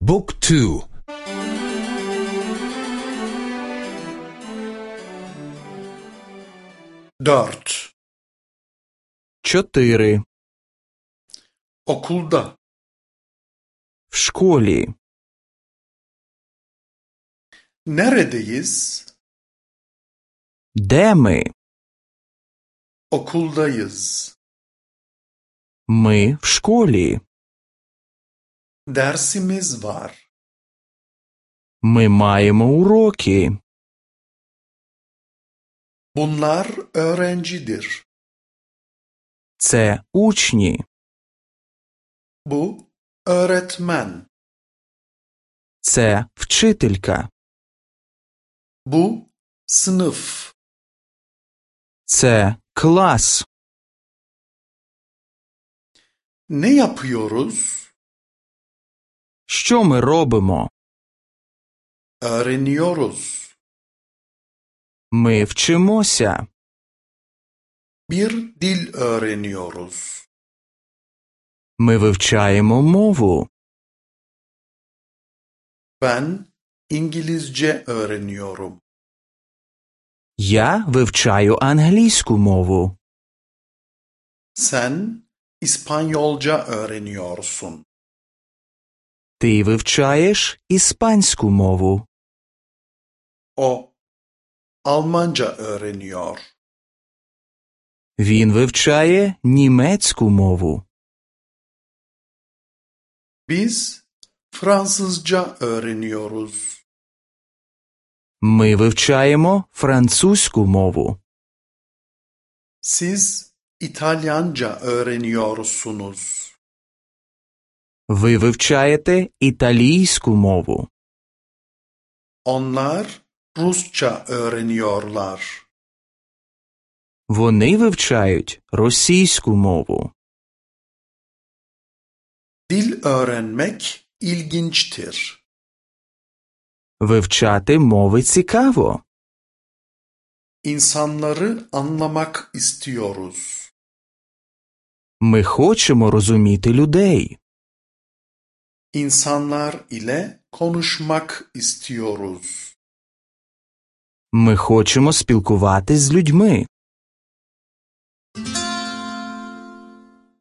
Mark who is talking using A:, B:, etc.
A: บุ๊กทู
B: Dört.
C: Чотири.
B: Okulda.
C: В школі.
B: Neredeyiz?
C: Де ми?
B: Okuldayız.
C: Ми в школі.
B: Dersimiz var.
C: Ми маємо уроки.
B: Bunlar öğrencidir.
C: Це учні.
B: Bu öğretmen.
C: Це вчителька.
B: Bu sınıf.
C: Це клас.
B: Ne yapıyoruz?
C: Що ми робимо?
B: Öğreniyoruz.
C: Ми вчимося.
B: Bir dil öğreniyoruz.
C: Ми вивчаємо мову.
B: Ben İngilizce öğreniyorum.
C: Я вивчаю англійську мову.
B: Sen İspanyolca öğreniyorsun.
C: Ти вивчаєш іспанську мову.
B: O Almanca öğreniyor.
C: Він вивчає німецьку мову.
B: Biz Fransızca öğreniyoruz.
C: Ми вивчаємо французьку мову.
B: Siz İtalyanca öğreniyorsunuz.
C: Ви вивчаєте італійську мову.
B: Onlar Rusça öğreniyorlar.
C: Вони вивчають російську мову.
B: Dil öğrenmek ilginçtir.
C: Вивчати мови цікаво.
B: İnsanları anlamak istiyoruz.
C: Ми хочемо розуміти людей.
B: İnsanlar ile konuşmak istiyoruz.
C: Ми хочемо спілкуватись з людьми.